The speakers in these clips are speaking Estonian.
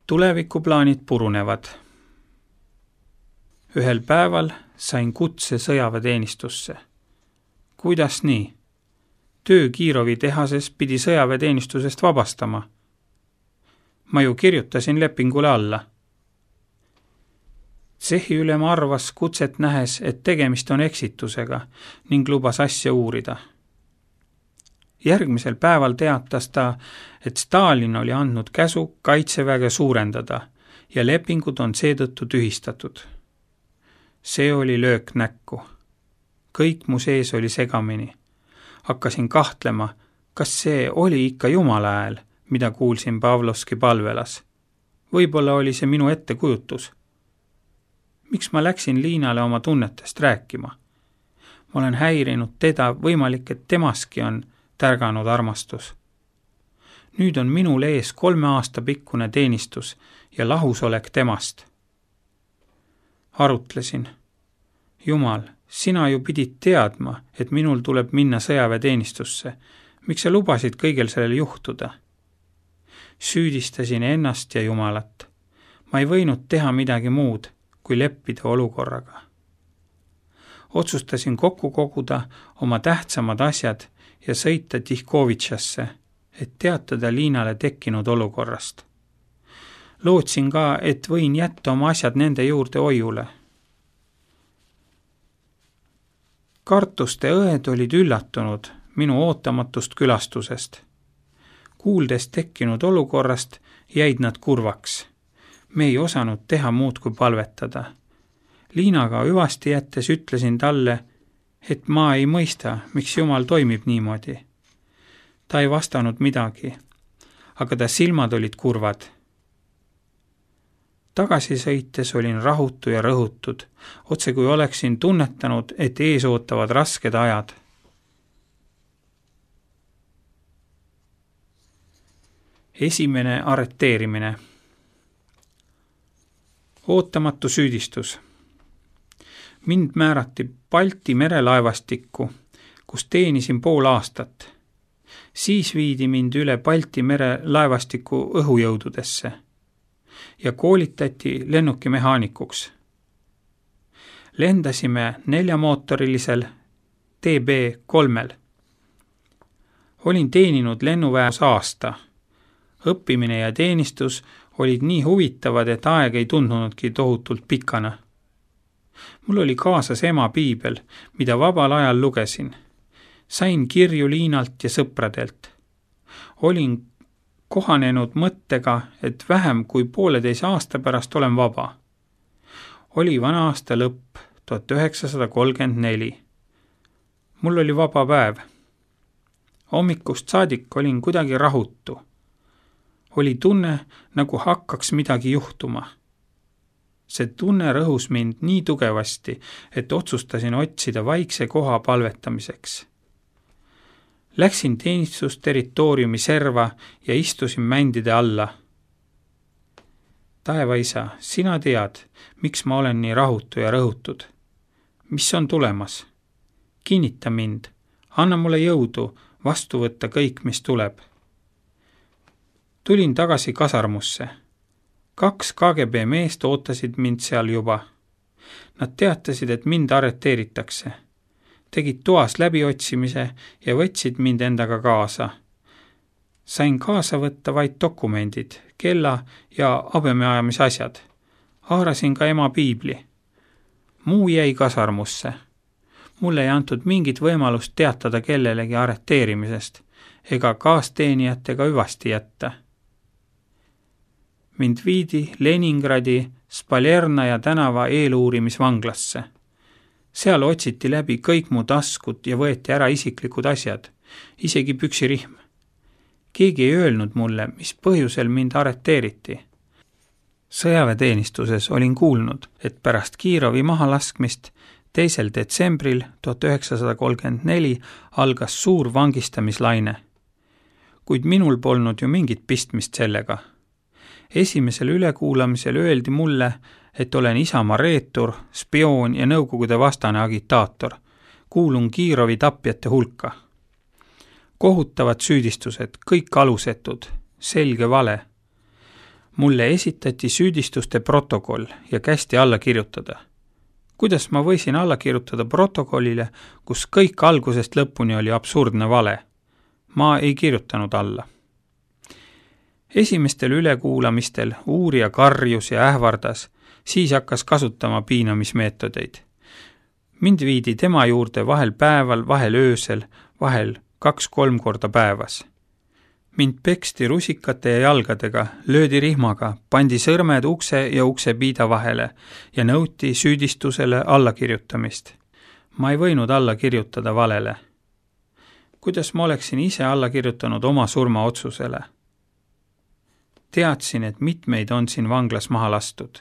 Tulevikuplaanid purunevad. Ühel päeval sain kutse sõjaväeteenistusse. Kuidas nii? Töö Kirovi tehases pidi sõjaväeteenistusest vabastama. Ma ju kirjutasin lepingule alla. Tsehiülem arvas kutset nähes, et tegemist on eksitusega ning lubas asja uurida. Järgmisel päeval teatas ta, et Stalin oli andnud käsu kaitseväge suurendada ja lepingud on seetõttu tühistatud. See oli löök näkku. Kõik mu sees oli segamini. Hakkasin kahtlema, kas see oli ikka Jumala hääl, mida kuulsin Pavlovski palvelas. Võib-olla oli see minu ettekujutus. Miks ma läksin Liinale oma tunnetest rääkima? Ma olen häirinud teda, võimalik, et temaski on tärganud armastus. Nüüd on minul ees 3 aasta pikkune teenistus ja lahusolek temast. Arutlesin. Jumal, sina ju pidid teadma, et minul tuleb minna sõjaväeteenistusse. Miks sa lubasid kõigel sellel juhtuda? Süüdistasin ennast ja Jumalat. Ma ei võinud teha midagi muud, kui leppida olukorraga. Otsustasin kokku koguda oma tähtsamad asjad ja sõita Tihkovitšasse, et teatada Liinale tekkinud olukorrast. Lootsin ka, et võin jätta oma asjad nende juurde hoiule. Kartuste õed olid üllatunud minu ootamatust külastusest. Kuuldes tekkinud olukorrast jäid nad kurvaks. Me ei osanud teha muud kui palvetada. Liinaga hüvasti jättes ütlesin talle, et ma ei mõista, miks Jumal toimib niimoodi. Ta ei vastanud midagi, aga ta silmad olid kurvad. Tagasi sõites olin rahutu ja rõhutud, otse kui oleksin tunnetanud, et ees ootavad rasked ajad. Esimene arreteerimine. Ootamatu süüdistus. Mind määrati Balti merelaevastikku, kus teenisin pool aastat. Siis viidi mind üle Balti merelaevastiku õhujõududesse ja koolitati lennukimehaanikuks. Lendasime 4-mootorilisel TB3. Olin teeninud lennuväes aasta. Õppimine ja teenistus olid nii huvitavad, et aeg ei tundnudki tohutult pikana. Mul oli kaasas ema piibel, mida vabal ajal lugesin. Sain kirju Liinalt ja sõpradelt. Olin kohanenud mõttega, et vähem kui 1,5 aasta pärast olen vaba. Oli vana aasta lõpp, 1934. Mul oli vaba päev. Hommikust saadik olin kuidagi rahutu. Oli tunne, nagu hakkaks midagi juhtuma. See tunne rõhus mind nii tugevasti, et otsustasin otsida vaikse koha palvetamiseks. Läksin teenistusterritooriumi serva ja istusin mändide alla. Taevaisa, sina tead, miks ma olen nii rahutu ja rõhutud. Mis on tulemas? Kinnita mind, anna mulle jõudu vastu võtta kõik, mis tuleb. Tulin tagasi kasarmusse. 2 KGB meest ootasid mind seal juba. Nad teatasid, et mind arreteeritakse. Tegid toas läbiotsimise ja võtsid mind endaga kaasa. Sain kaasa võtta vaid dokumendid, kella ja abemeajamise asjad. Haarasin ka ema piibli. Muu jäi kasarmusse. Mulle ei antud mingit võimalust teatada kellelegi arreteerimisest ega kaasteenijatega hüvasti jätta. Mind viidi Leningradi Spalernaja tänava eeluurimisvanglasse. Seal otsiti läbi kõik mu taskud ja võeti ära isiklikud asjad, isegi püksirihm. Keegi ei öelnud mulle, mis põhjusel mind arreteeriti. Sõjaväeteenistuses olin kuulnud, et pärast Kirovi mahalaskmist 2. detsembril 1934 algas suur vangistamislaine. Kuid minul polnud ju mingit pistmist sellega. Esimesel ülekuulamisel öeldi mulle, et olen Isamaa reetur, spioon ja nõukogude vastane agitaator. Kuulun Kirovi tapjate hulka. Kohutavad süüdistused, kõik alusetud, selge vale. Mulle esitati süüdistuste protokoll ja kästi alla kirjutada. Kuidas ma võisin alla kirjutada protokollile, kus kõik algusest lõpuni oli absurdne vale? Ma ei kirjutanud alla. Esimestel ülekuulamistel uurija karjus ja ähvardas, siis hakkas kasutama piinamismeetodeid. Mind viidi tema juurde vahel päeval, vahel öösel, vahel 2-3 korda päevas. Mind peksti rusikate ja jalgadega, löödi rihmaga, pandi sõrmed ukse ja uksepiida vahele ja nõuti süüdistusele allakirjutamist. Ma ei võinud alla kirjutada valele. Kuidas ma oleksin ise alla kirjutanud oma surmaotsusele? Teadsin, et mitmeid on siin vanglas maha lastud.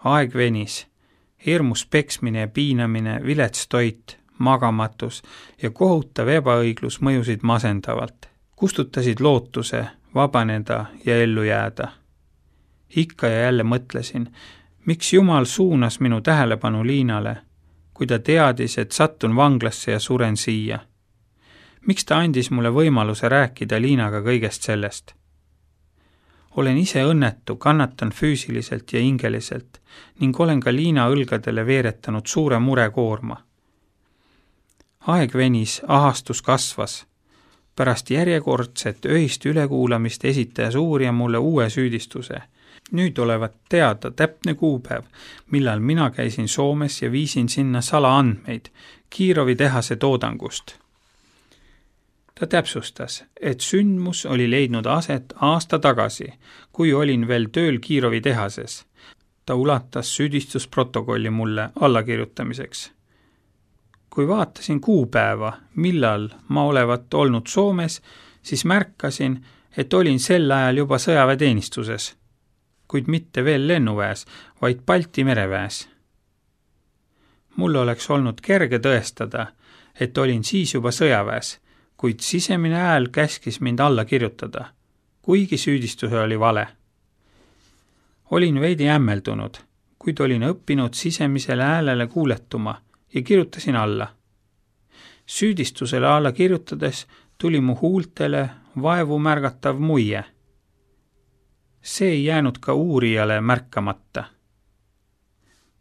Aeg venis, hirmus peksmine ja piinamine, vilets toit, magamatus ja kohutav ebaõiglus mõjusid masendavalt. Kustutasid lootuse vabaneda ja ellu jääda. Ikka ja jälle mõtlesin, miks Jumal suunas minu tähelepanu Liinale, kui ta teadis, et sattun vanglasse ja suren siia. Miks ta andis mulle võimaluse rääkida Liinaga kõigest sellest? Olen ise õnnetu, kannatan füüsiliselt ja hingeliselt ning olen ka Liina õlgadele veeretanud suure murekoorma. Aeg venis, ahastus kasvas. Pärast järjekordset öist ülekuulamist esitas uurija mulle uue süüdistuse. Nüüd olevat teada täpne kuupäev, millal mina käisin Soomes ja viisin sinna salaandmeid Kiirovi tehase toodangust. Ta täpsustas, et sündmus oli leidnud aset aasta tagasi, kui olin veel tööl Kiirovi tehases. Ta ulatas süüdistusprotokolli mulle allakirjutamiseks. Kui vaatasin kuupäeva, millal ma olevat olnud Soomes, siis märkasin, et olin sel ajal juba sõjaväeteenistuses, kuid mitte veel lennuväes, vaid Balti mereväes. Mul oleks olnud kerge tõestada, et olin siis juba sõjaväes, kuid sisemine hääl käskis mind alla kirjutada, kuigi süüdistuse oli vale. Olin veidi hämmeldunud, kuid olin õppinud sisemisele häälele kuuletuma ja kirjutasin alla. Süüdistusele alla kirjutades tuli mu huultele vaevu märgatav muie. See ei jäänud ka uurijale märkamata.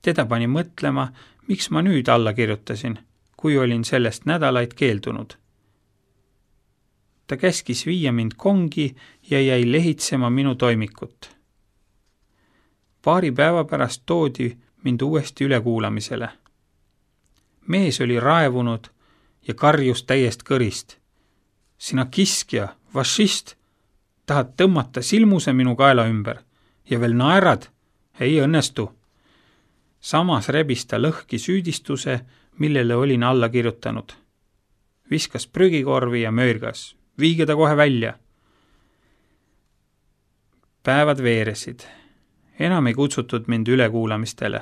Teda pani mõtlema, miks ma nüüd alla kirjutasin, kui olin sellest nädalaid keeldunud. Ta käskis viia mind kongi ja jäi lehitsema minu toimikut. Paari päeva pärast toodi mind uuesti ülekuulamisele. Mees oli raevunud ja karjus täiest kõrist. Sina kiskja, fašist, tahad tõmmata silmuse minu kaela ümber ja veel naerad? Ei õnnestu. Samas rebis ta lõhki süüdistuse, millele olin alla kirjutanud. Viskas prügikorvi ja möörgas. Viige ta kohe välja. Päevad veeresid. Enam ei kutsutud mind ülekuulamistele.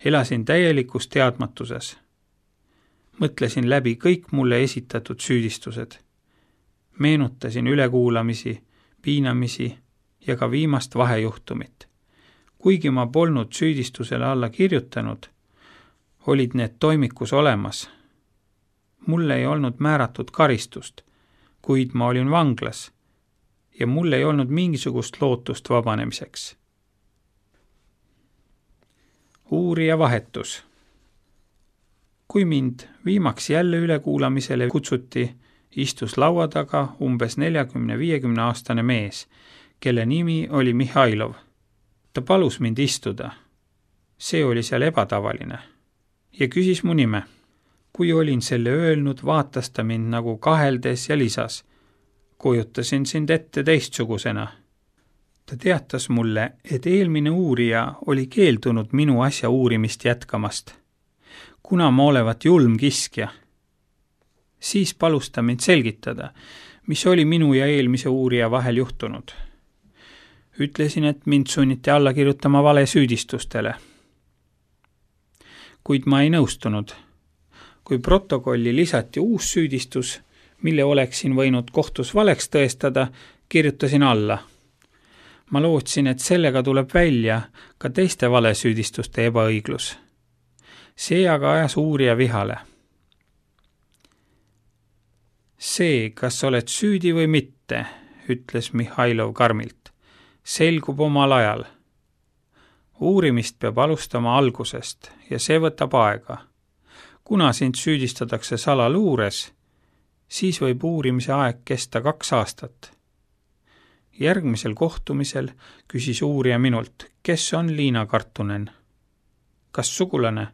Elasin täielikus teadmatuses. Mõtlesin läbi kõik mulle esitatud süüdistused. Meenutasin ülekuulamisi, piinamisi ja ka viimast vahejuhtumit. Kuigi ma polnud süüdistusele alla kirjutanud, olid need toimikus olemas. Mulle ei olnud määratud karistust, kuid ma olin vanglas ja mul ei olnud mingisugust lootust vabanemiseks. Uurija vahetus. Kui mind viimaks jälle ülekuulamisele kutsuti, istus laua taga umbes 40-50 aastane mees, kelle nimi oli Mihhailov. Ta palus mind istuda. See oli seal ebatavaline ja küsis mu nime. Kui olin selle öelnud, vaatas ta mind nagu kaheldes ja lisas. Kujutasin sind ette teistsugusena. Ta teatas mulle, et eelmine uurija oli keeldunud minu asja uurimist jätkamast, kuna ma olevat julm kiskja. Siis palus ta mind selgitada, mis oli minu ja eelmise uurija vahel juhtunud. Ütlesin, et mind sunniti alla kirjutama vale süüdistustele. Kuid ma ei nõustunud. Kui protokolli lisati uus süüdistus, mille oleksin võinud kohtus valeks tõestada, kirjutasin alla. Ma lootsin, et sellega tuleb välja ka teiste valesüüdistuste ebaõiglus. See aga ajas uurija vihale. See, kas oled süüdi või mitte, ütles Mihhailov karmilt. Selgub omal ajal. Uurimist peab alustama algusest ja see võtab aega. Kuna sind süüdistatakse salaluures, siis võib uurimise aeg kesta 2 aastat. Järgmisel kohtumisel küsis uurija minult, kes on Liina Kartunen? Kas sugulane?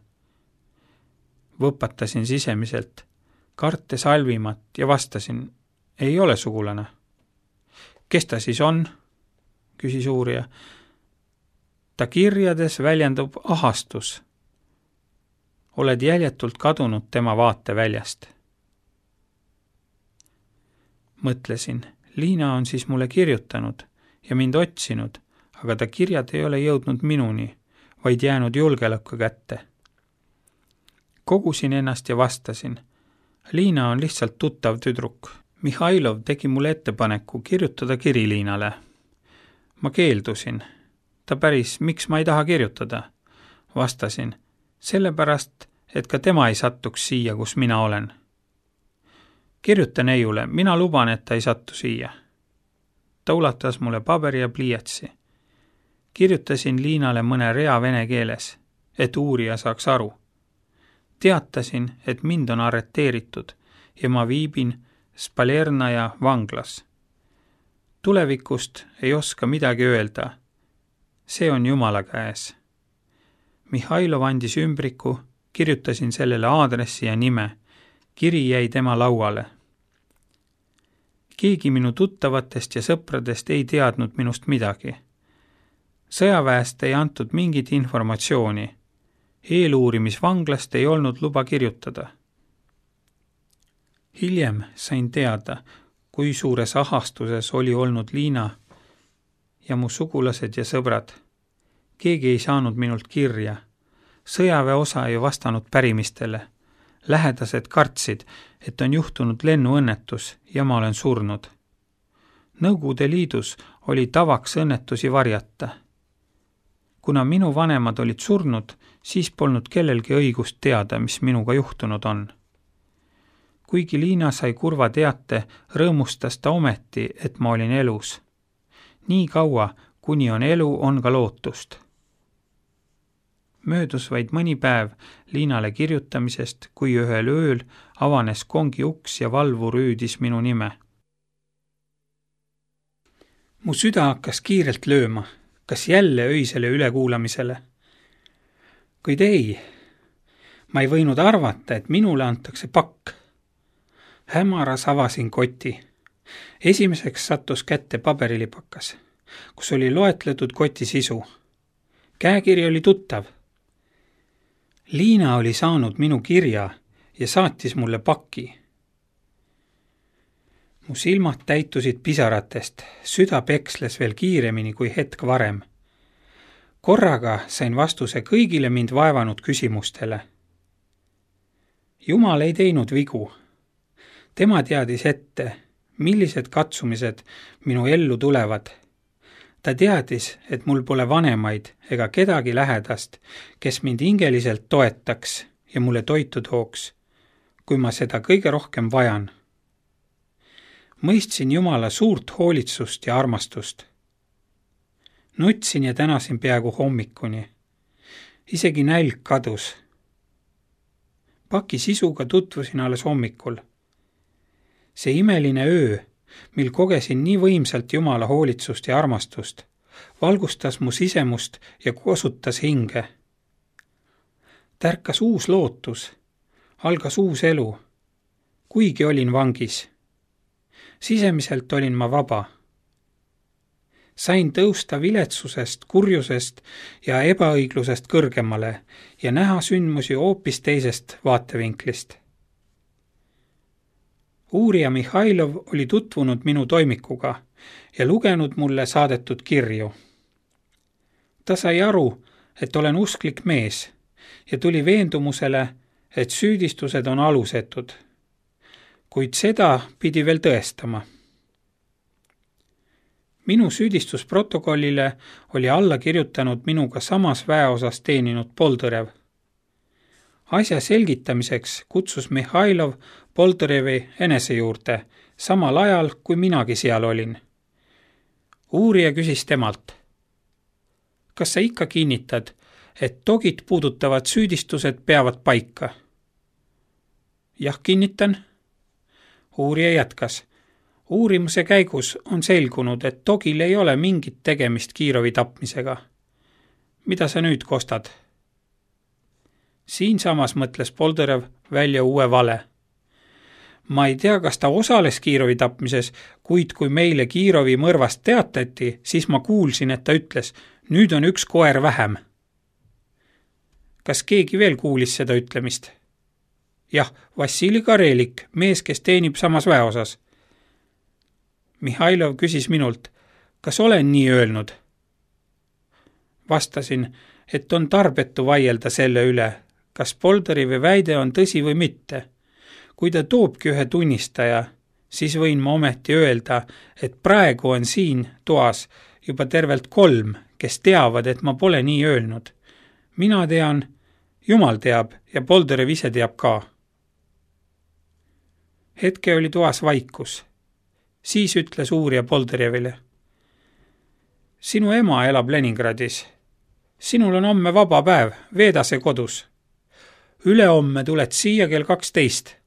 Võpatasin sisemiselt, kartes halvimat ja vastasin, ei ole sugulane. Kes ta siis on? Küsis uurija. Ta kirjades väljendub ahastus. Oled jäljetult kadunud tema vaateväljast. Mõtlesin, Liina on siis mulle kirjutanud ja mind otsinud, aga ta kirjad ei ole jõudnud minuni, vaid jäänud julgeoleku kätte. Kogusin ennast ja vastasin. Liina on lihtsalt tuttav tüdruk. Mihhailov tegi mulle ettepaneku kirjutada kiri Liinale. Ma keeldusin. Ta päris, miks ma ei taha kirjutada? Vastasin, sellepärast, et ka tema ei sattuks siia, kus mina olen. Kirjuta neiule, mina luban, et ta ei sattu siia. Ta ulatas mulle paberi ja pliiatsi. Kirjutasin Liinale mõne rea vene keeles, et uurija saaks aru. Teatasin, et mind on arreteeritud ja ma viibin Spalernaja vanglas. Tulevikust ei oska midagi öelda. See on Jumala käes. Mihhailov andis ümbriku, kirjutasin sellele aadressi ja nime. Kiri jäi tema lauale. Keegi minu tuttavatest ja sõpradest ei teadnud minust midagi. Sõjaväest ei antud mingit informatsiooni. Eeluurimisvanglast ei olnud luba kirjutada. Hiljem sain teada, kui suures ahastuses oli olnud Liina ja mu sugulased ja sõbrad. Keegi ei saanud minult kirja. Sõjaväeosa ei vastanud pärimistele. Lähedased kartsid, et on juhtunud lennuõnnetus ja ma olen surnud. Nõukogude Liidus oli tavaks õnnetusi varjata. Kuna minu vanemad olid surnud, siis polnud kellelgi õigust teada, mis minuga juhtunud on. Kuigi Liina sai kurva teate, rõõmustas ta ometi, et ma olin elus. Nii kaua, kuni on elu, on ka lootust. Möödus vaid mõni päev Liinale kirjutamisest, kui ühel ööl avanes kongi uks ja valvur hüüdis minu nime. Mu süda hakkas kiirelt lööma, kas jälle öisele ülekuulamisele. Kuid ei, ma ei võinud arvata, et minule antakse pakk. Hämaras avasin koti. Esimeseks sattus kätte paberilipakas, kus oli loetletud koti sisu. Käekiri oli tuttav. Liina oli saanud minu kirja ja saatis mulle paki. Mu silmad täitusid pisaratest, süda peksles veel kiiremini kui hetk varem. Korraga sain vastuse kõigile mind vaevanud küsimustele. Jumal ei teinud vigu. Tema teadis ette, millised katsumised minu ellu tulevad. Ta teadis, et mul pole vanemaid ega kedagi lähedast, kes mind hingeliselt toetaks ja mulle toitu tooks, kui ma seda kõige rohkem vajan. Mõistsin Jumala suurt hoolitsust ja armastust. Nutsin ja tänasin peaaegu hommikuni. Isegi nälg kadus. Paki sisuga tutvusin alles hommikul. See imeline öö, mil kogesin nii võimsalt Jumala hoolitsust ja armastust, valgustas mu sisemust ja kosutas hinge. Tärkas uus lootus, algas uus elu, kuigi olin vangis. Sisemiselt olin ma vaba. Sain tõusta viletsusest, kurjusest ja ebaõiglusest kõrgemale ja näha sündmusi hoopis teisest vaatevinklist. Uurija Mihhailov oli tutvunud minu toimikuga ja lugenud mulle saadetud kirju. Ta sai aru, et olen usklik mees ja tuli veendumusele, et süüdistused on alusetud. Kuid seda pidi veel tõestama. Minu süüdistusprotokollile oli alla kirjutanud minuga samas väeosas teeninud Poltõrev. Asja selgitamiseks kutsus Mihhailov Poltõrevi enese juurde, samal ajal kui minagi seal olin. Uurija küsis temalt: kas sa ikka kinnitad, et Dogit puudutavad süüdistused peavad paika? Jah, kinnitan. Uurija jätkas: uurimuse käigus on selgunud, et Dogil ei ole mingit tegemist Kirovi tapmisega. Mida sa nüüd kostad? Siinsamas mõtles Bolderev välja uue vale. Ma ei tea, kas ta osales Kirovi tapmises, kuid kui meile Kirovi mõrvast teatati, siis ma kuulsin, et ta ütles: nüüd on üks koer vähem. Kas keegi veel kuulis seda ütlemist? Jah, Vassili Karelik, mees, kes teenib samas väeosas. Mihhailov küsis minult: kas olen nii öelnud? Vastasin, et on tarbetu vaielda selle üle, kas Bolderevi väide on tõsi või mitte. Kui ta toobki ühe tunnistaja, siis võin ma ometi öelda, et praegu on siin toas juba tervelt 3, kes teavad, et ma pole nii öelnud. Mina tean, Jumal teab ja Bolderev ise teab ka. Hetke oli toas vaikus. Siis ütles uurija Bolderevile: sinu ema elab Leningradis. Sinul on homme vaba päev, veeda see kodus. Ülehomme tuled siia kell 12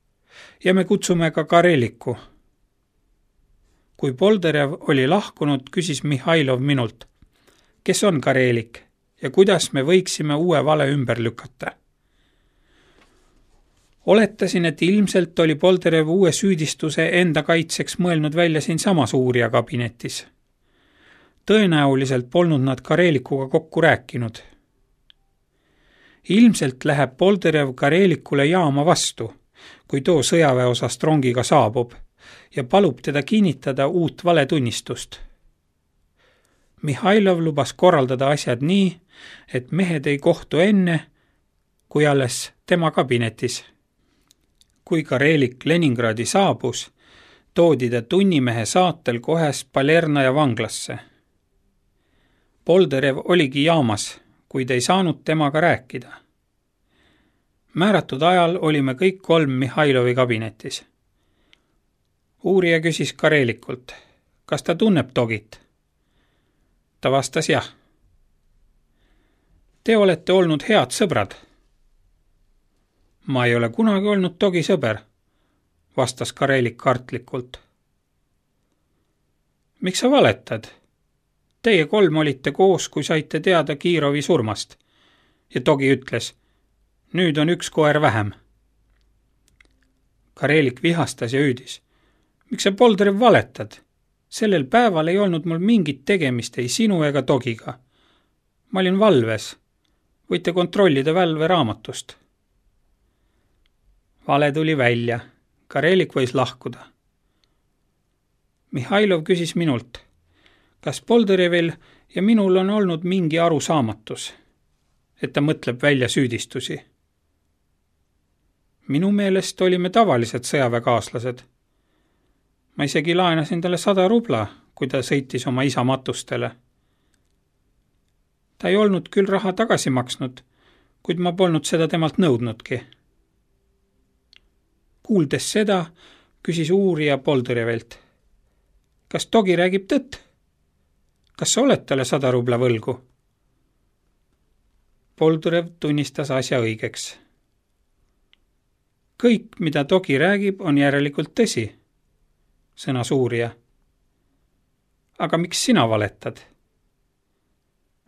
ja me kutsume ka Kareliku. Kui Bolderev oli lahkunud, küsis Mihhailov minult: kes on Karelik ja kuidas me võiksime uue vale ümber lükata? Oletasin, et ilmselt oli Bolderev uue süüdistuse enda kaitseks mõelnud välja siinsamas uurija kabinetis. Tõenäoliselt polnud nad Karelikuga kokku rääkinud. Ilmselt läheb Bolderev Karelikule jaama vastu, kui too sõjaväeosast rongiga saabub, ja palub teda kinnitada uut valetunnistust. Mihhailov lubas korraldada asjad nii, et mehed ei kohtu enne, kui alles tema kabinetis. Kui Karelik Leningradi saabus, toodi ta tunnimehe saatel kohe Spalernaja vanglasse. Bolderev oligi jaamas, kuid ei saanud temaga rääkida. Määratud ajal olime kõik 3 Mihhailovi kabinetis. Uurija küsis Karelikult: kas ta tunneb Dogit? Ta vastas jah. Te olete olnud head sõbrad. Ma ei ole kunagi olnud Dogi sõber, vastas Karelik kartlikult. Miks sa valetad? Teie 3 olite koos, kui saite teada Kirovi surmast. Ja Dogi ütles: nüüd on üks koer vähem. Karelik vihastas ja hüüdis: miks sa, Bolderev, valetad? Sellel päeval ei olnud mul mingit tegemist ei sinu ega Dogiga. Ma olin valves. Võite kontrollida valveraamatust. Vale tuli välja. Karelik võis lahkuda. Mihhailov küsis minult: kas Bolderevil ja minul on olnud mingi arusaamatus, et ta mõtleb välja süüdistusi? Minu meelest olime tavalised sõjaväekaaslased. Ma isegi laenasin talle 100 rubla, kui ta sõitis oma isa matustele. Ta ei olnud küll raha tagasi maksnud, kuid ma polnud seda temalt nõudnudki. Kuuldes seda, küsis uurija Bolderevilt: kas Dogi räägib tõtt? Kas sa oled talle 100 rubla võlgu? Bolderev tunnistas asja õigeks. Kõik, mida Dogi räägib, on järelikult tõsi, sõnas uurija. Aga miks sina valetad?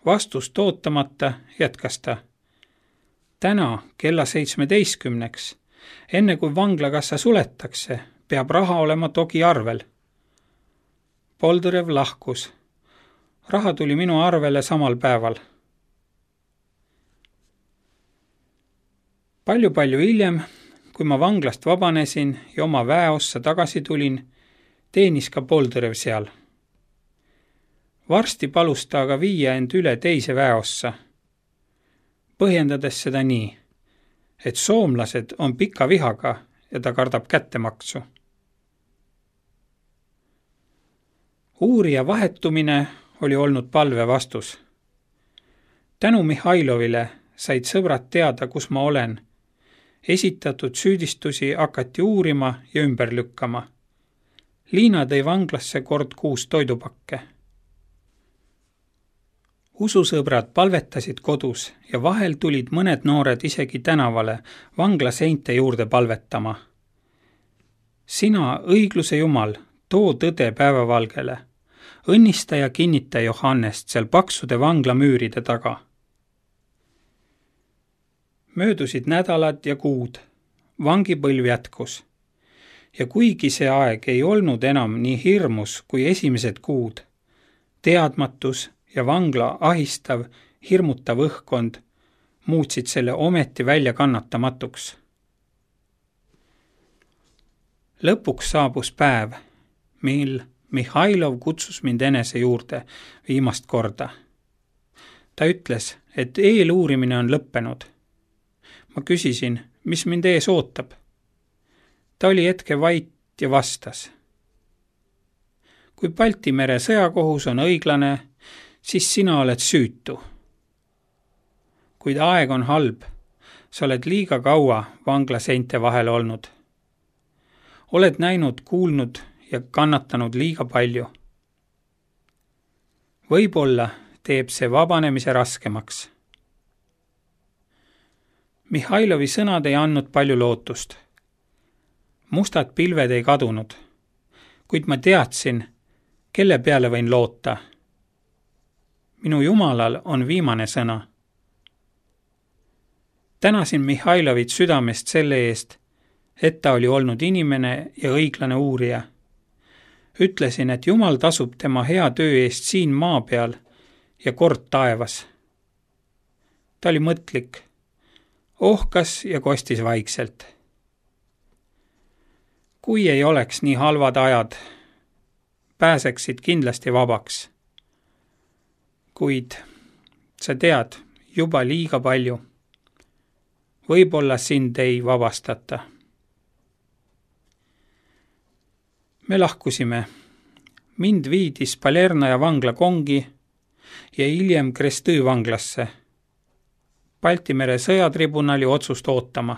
Vastust ootamata jätkas ta: täna kella 17, enne kui vanglakassa suletakse, peab raha olema Dogi arvel. Bolderev lahkus. Raha tuli minu arvele samal päeval. Palju hiljem, kui ma vanglast vabanesin ja oma väeossa tagasi tulin, teenis ka Bolderev seal. Varsti palus ta aga viia end üle teise väeossa, põhjendades seda nii, et soomlased on pika vihaga ja ta kardab kättemaksu. Uurija vahetumine oli olnud palve vastus. Tänu Mihhailovile said sõbrad teada, kus ma olen. Esitatud süüdistusi hakati uurima ja ümber lükkama. Liina tõi vanglasse kord 6 toidupakke. Ususõbrad palvetasid kodus ja vahel tulid mõned noored isegi tänavale vangla seinte juurde palvetama. Sina, õigluse Jumal, too tõde päevavalgele. Õnnista ja kinnita Johannest seal paksude vanglamüüride taga. Möödusid nädalad ja kuud. Vangipõlv jätkus. Ja kuigi see aeg ei olnud enam nii hirmus kui esimesed kuud, teadmatus ja vangla ahistav, hirmutav õhkkond muutsid selle ometi välja kannatamatuks. Lõpuks saabus päev, mil Mihhailov kutsus mind enese juurde viimast korda. Ta ütles, et eeluurimine on lõppenud. Ma küsisin, mis mind ees ootab. Ta oli hetke vait ja vastas. Kui Balti mere sõjakohus on õiglane, siis sina oled süütu. Kuid aeg on halb, sa oled liiga kaua vangla seinte vahel olnud. Oled näinud, kuulnud ja kannatanud liiga palju. Võib-olla teeb see vabanemise raskemaks. Mihhailovi sõnad ei andnud palju lootust. Mustad pilved ei kadunud, kuid ma teadsin, kelle peale võin loota. Minu Jumalal on viimane sõna. Tänasin Mihhailovit südamest selle eest, et ta oli olnud inimene ja õiglane uurija. Ütlesin, et Jumal tasub tema hea töö eest siin maa peal ja kord taevas. Ta oli mõtlik, ohkas ja kostis vaikselt. Kui ei oleks nii halvad ajad, pääseksid kindlasti vabaks. Kuid sa tead juba liiga palju. Võib-olla sind ei vabastata. Me lahkusime. Mind viidis Palernaja vangla kongi ja hiljem Krestõ vanglasse. Balti mere sõjatribunali otsust ootama.